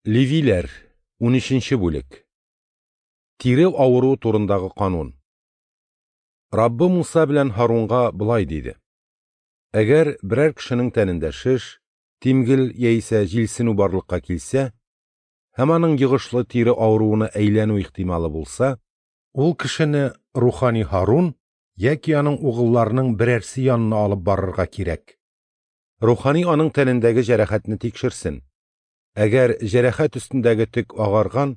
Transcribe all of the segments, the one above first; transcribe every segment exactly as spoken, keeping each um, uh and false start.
Левиләр, унөченче бүлек. Тире авыруы турындагы канун. Раббы Муса белән Һарунга болай диде: Әгәр берәр кешенең тәнендә шеш, тимгел яисә җилсенү барлыкка килсә, һәм аның йогышлы тире авыруына әйләнү ихтималы булса, ул кешене рухани Һарун яки аның угылларының берәрсе янына алып барырга кирәк. Рухани аның тәнендәге җәрәхәтне тикшерсен. Әгәр җәрәхәт өстендәге төк агарган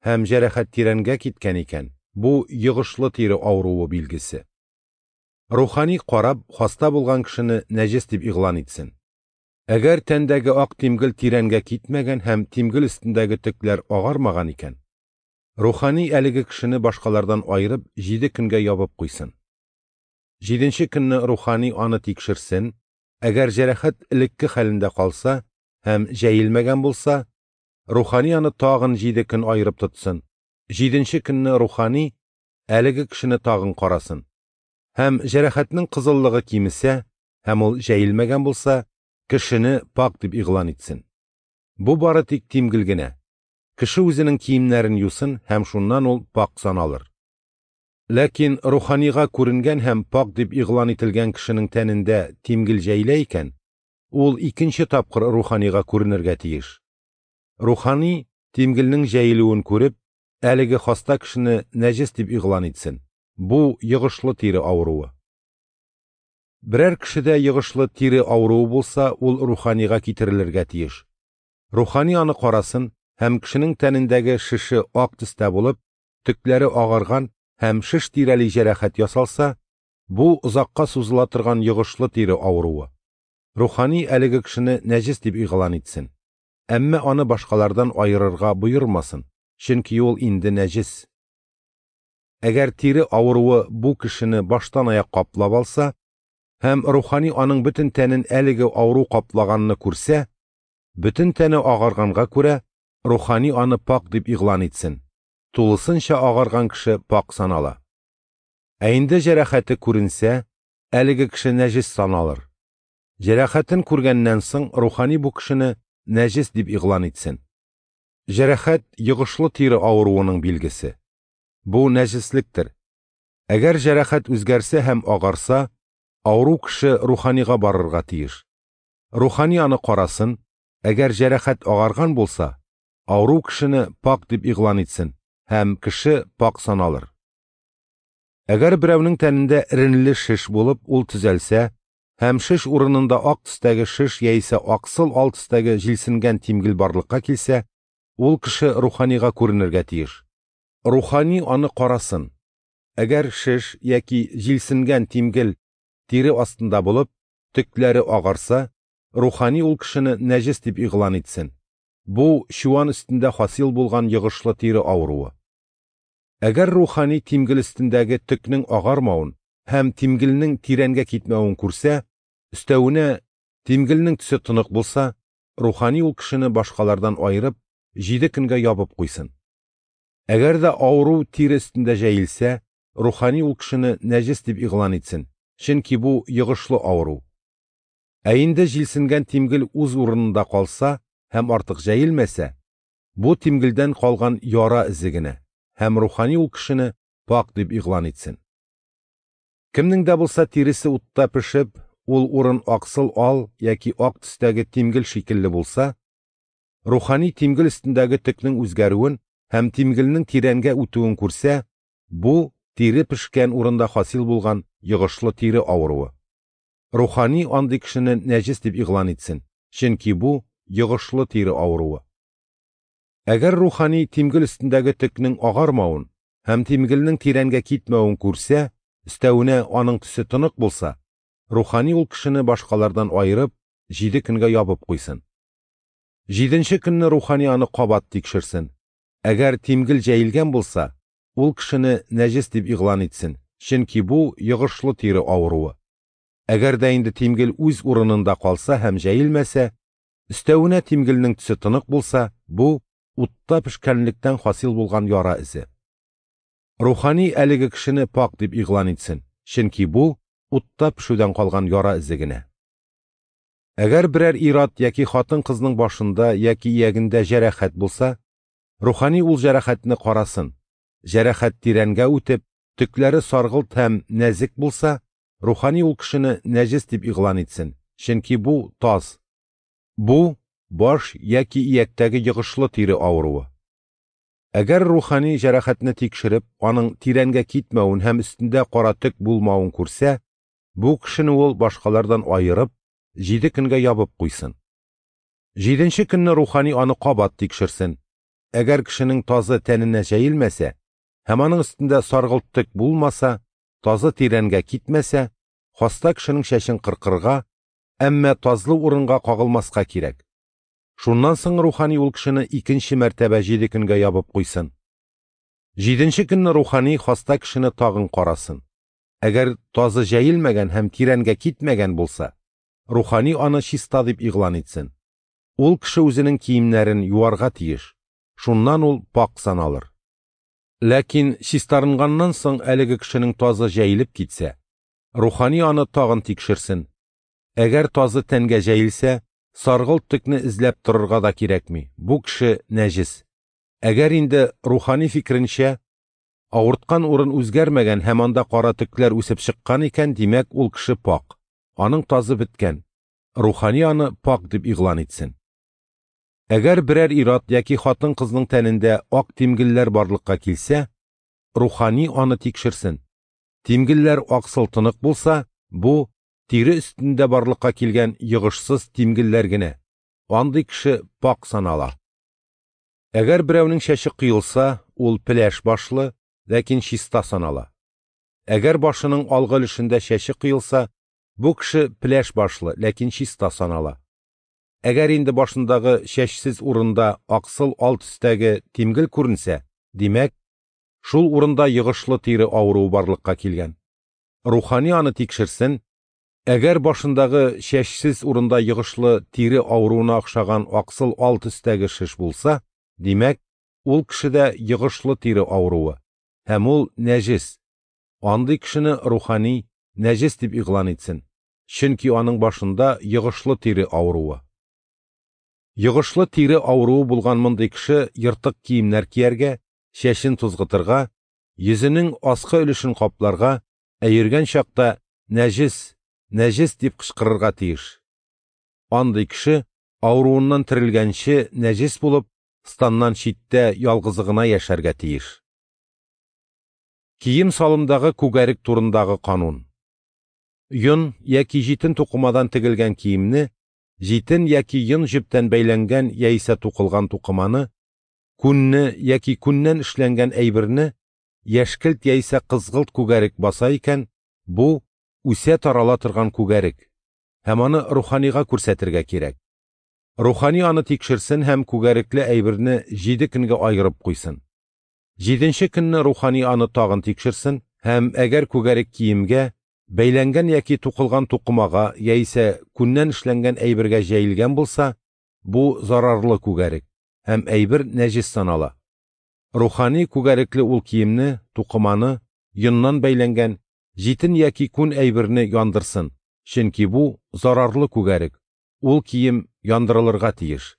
һәм җәрәхәт тирәнгә киткән икән, бу йогышлы тире авыруы билгесе. Рухани карап, хаста булган кешене нәҗес дип игълан итсен. Әгәр тәндәге ак тимгел тирәнгә китмәгән һәм тимгел өстендәге төкләр агармаган икән, рухани әлеге кешене башкалардан аерып җиде көнгә ябып куйсын. Җиденче көнне рухани аны тикшерсен, әгәр җәрәхәт элекке хәлендә калса һәм җәелмәгән булса, рухани аны тагын җиде көн аерып тотсын. Җиденче көнне рухани әлеге кешене тагын карасын. Һәм җәрәхәтнең кызыллыгы кимесә һәм ул җәелмәгән булса, кешене пак дип игълан итсен. Бу бары тик тимгел генә. Кеше үзенең киемнәрен юсын һәм шуннан ул пак саналыр. Ләкин руханига күренгән һәм пак дип игълан ителгән кешенең тәнендә тимгел җәелә икән, ул икенче тапкыр руханига күренергә тиеш. Рухани тимгелнең җәелүен күреп, әлеге хаста кешене нәҗес дип игълан итсен. Бу йогышлы тире авыруы. Берәр кешедә йогышлы тире авыруы булса, ул руханига китерелергә тиеш. Рухани аны карасын һәм кешенең тәнендәге шеше ак төстә булып, төкләре агарган һәм шеш тирәли җәрәхәт ясалса, бу озакка сузыла торган йогышлы тире авыруы. Рухани әлеге кешене нәҗес дип игълан итсен. Әмма аны башкалардан аерырга боермасын, чөнки ул инде нәҗес. Әгәр тире авыруы бу кешене баштан аяк каплап алса, һәм рухани аның бөтен тәнен әлеге авыру каплаганны күрсә, бөтен тәне агарганга күрә, рухани аны пак дип игълан итсен. Тулысынча агарган кеше пак санала. Ә инде җәрәхәте күренсә, әлеге кеше нәҗес саналыр. Җәрәхәтен күргәннән соң рухани бу кешене нәҗес дип игълан итсен. Җәрәхәт йогышлы тире авыруының билгесе. Бу нәҗеслектер. Әгәр җәрәхәт үзгәрсә һәм агарса, авыру кеше руханига барырга тиеш. Рухани аны карасын, әгәр җәрәхәт агарган булса, авыру кешене пак дип игълан итсен һәм кеше пак саналыр. Әгәр берәүнең тәнендә эренле шеш булып, ул төзәлсә, һәм шеш урынында ак төстәге шеш яисә аксыл ал төстәге җилсенгән тимгел барлыкка килсә, ул кеше руханига күренергә тиеш. Рухани аны карасын. Әгәр шеш яки җилсенгән тимгел тире астында булып, төкләре агарса, рухани ул кешене нәҗес дип игълан итсен. Бу чуан өстендә хасил булган йогышлы тире авыруы. Әгәр рухани тимгел өстендәге төкнең агармавын һәм тимгелнең тирәнгә китмәвен күрсә, өстәвенә тимгелнең төсе тонык булса, рухани ул кешене башкалардан аерып, җиде көнгә ябып куйсын. Әгәр дә авыру тире өстендә җәелсә, рухани ул кешене нәҗес дип игълан итсен, чөнки бу йогышлы авыру. Ә инде җилсенгән тимгел үз урынында калса һәм артык җәелмәсә, бу тимгелдән калган яра эзе генә, һәм рухани ул кешене пак дип игълан итсен. Кемнең дә булса тиресе утта пешеп, ул урын аксыл ал яки ак төстәге тимгел шикелле булса, рухани тимгел өстендәге төкнең үзгәрүен һәм тимгелнең тирәнгә үтүен күрсә, бу тире пешкән урында хасил булган йогышлы тире авыруы. Рухани андый кешене нәҗес дип игълан итсен, чөнки бу йогышлы тире авыруы. Әгәр рухани тимгел өстендәге төкнең агармавын һәм тимгелнең тирәнгә китмәвен күрсә, өстәвенә аның төсе тонык булса, рухани ул кешене башкалардан аерып, җиде көнгә ябып куйсын. Җиденче көнне рухани аны кабат тикшерсен. Әгәр тимгел җәелгән булса, ул кешене нәҗес дип игълан итсен, чөнки бу йогышлы тире авыруы. Әгәр дә инде тимгел үз урынында калса һәм җәелмәсә, өстәвенә тимгелнең төсе тонык булса, бу утта пешкәнлектән хасил булган яра эзе. Рухани әлеге кешене пак дип игълан итсен, чөнки бу утта пешүдән калган яра эзе генә. Әгәр берәр ир-ат яки хатын-кызның башында яки иягендә җәрәхәт булса, рухани ул җәрәхәтне карасын. Җәрәхәт тирәнгә үтеп, төкләре саргылт һәм нәзек булса, рухани ул кешене нәҗес дип игълан итсен, чөнки бу таз. Бу баш яки ияктәге йогышлы тире авыруы. Әгәр рухани җәрәхәтне тикшереп, аның тирәнгә китмәвен һәм өстендә кара төк булмавын күрсә, бу кешене ул башкалардан аерып, җиде көнгә ябып куйсын. Җиденче көнне рухани аны кабат тикшерсен. Әгәр кешенең тазы тәненә җәелмәсә һәм аның өстендә саргылт төк булмаса, тазы тирәнгә китмәсә, хаста кешенең чәчен кыркырга, әмма тазлы урынга кагылмаска кирәк. Шуннан соң рухани ул кешене икенче мәртәбә җиде көнгә ябып куйсын. Җиденче көнне рухани хаста кешене тагын карасын. Әгәр тазы җәелмәгән һәм тирәнгә китмәгән булса, рухани аны чиста дип игълан итсен. Ул кеше үзенең киемнәрен юарга тиеш. Шуннан ул пак саналыр. Ләкин чистарынганнан соң әлеге кешенең тазы җәелеп китсә, рухани аны тагын тикшерсен. Әгәр тазы тәнгә җәелсә, саргылт төкне эзләп торырга да кирәкми. Бу кеше нәҗес. Әгәр инде рухани фикеренчә авырткан урын үзгәрмәгән һәм анда кара төкләр үсеп чыккан икән, димәк, ул кеше пак. Аның тазы беткән. Рухани аны пак дип игълан итсен. Әгәр берәр ир-ат яки хатын-кызның тәнендә ак тимгелләр барлыкка килсә, рухани аны тикшерсен. Тимгелләр аксыл тонык булса, бу тире өстендә барлыкка килгән йогышсыз тимгелләр генә. Андый кеше пак санала. Әгәр берәүнең чәче коелса, ул пеләш башлы, ләкин чиста санала. Әгәр башының алгы өлешендә чәче коелса, бу кеше пеләш башлы, ләкин чиста санала. Әгәр инде башындагы чәчсез урында аксыл ал төстәге тимгел күренсә, димәк, шул урында йогышлы тире авыруы барлыкка килгән. Рухани аны тикшерсен. Әгәр башындагы чәчсез урында йогышлы тире авыруына охшаган аксыл ал төстәге шеш булса, димәк, ул кешедә йогышлы тире авыруы һәм ул нәҗес. Андый кешене рухани нәҗес дип игълан итсен, чөнки аның башында йогышлы тире авыруы. Йогышлы тире авыруы булган мондый кеше ертык киемнәр кияргә, чәчен тузгытырга, йөзенең аскы өлешен капларга, ә йөргән чакта нәҗес, нәҗес дип кычкырырга тиеш. Андый кеше авыруыннан терелгәнче нәҗес булып, станнан читтә ялгызы гына яшәргә тиеш. Кием салымдагы күгәрек турындагы канун. Йон яки җитен тукымадан тегелгән киемне, җитен яки йон җептән бәйләнгән яисә тукылган тукыманы, күнне яки күннән эшләнгән әйберне яшькелт яисә кызгылт күгәрек баса икән, бу үсә тарала торган күгәрек һәм аны руханига күрсәтергә кирәк. Рухани аны тикшерсен һәм күгәрекле әйберне җиде көнгә аерып куйсын. Җиденче көнне рухани аны тагын тикшерсен һәм әгәр күгәрек киемгә, бәйләнгән яки тукылган тукымага яисә күннән эшләнгән әйбергә җәелгән булса, бу зарарлы күгәрек һәм әйбер нәҗес санала. Рухани күгәрекле ул киемне, тукыманы, йоннан бәйләнгән җитен яки күн әйберне яндырсын, чөнки бу зарарлы күгәрек, ул кием яндырылырга тиеш.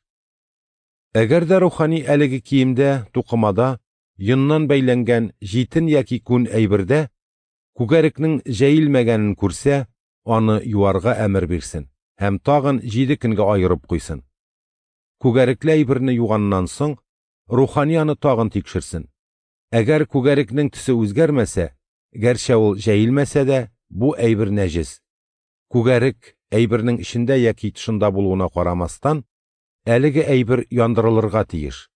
Әгәр дә рухани әлеге киемдә, тукымада, йоннан бәйләнгән җитен яки күн әйбердә күгәрекнең җәелмәгәнен күрсә, аны юарга әмер бирсен һәм тагын җиде көнгә аерып куйсын. Күгәрекле әйберне юганнан соң, рухани аны тагын тикшерсен. Әгәр күгәрекнең төсе үзгәрмәсә, гәрчә ул җәелмәсә дә, бу әйбер нәҗес. Күгәрек әйбернең эчендә яки тышында булуына карамастан, әлеге әйбер яндырылырга тиеш.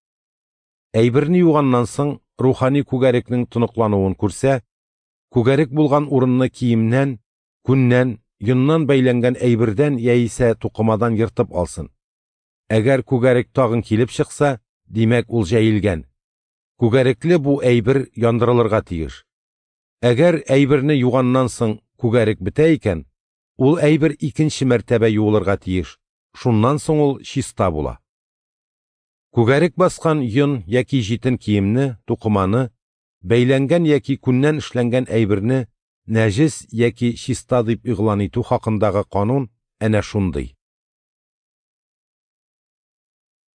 Әйберне юганнан соң, рухани күгәрекнең тоныклануын күрсә, күгәрек булган урынны киемнән, күннән, йоннан бәйләнгән әйбердән яисә тукымадан ертып алсын. Әгәр күгәрек тагын килеп чыкса, димәк, ул җәелгән. Күгәрекле бу әйбер яндырылырга тиеш. Әгәр әйберне юганнан соң күгәрек бетә икән, ул әйбер икенче мәртәбә юылырга тиеш. Шуннан соң ул чиста була. Күгәрек баскан йон яки җитен киемне, тукыманы, бәйләнгән яки күннән эшләнгән әйберне нәҗес яки чиста дип игълан итү хакындагы канун әнә шундый.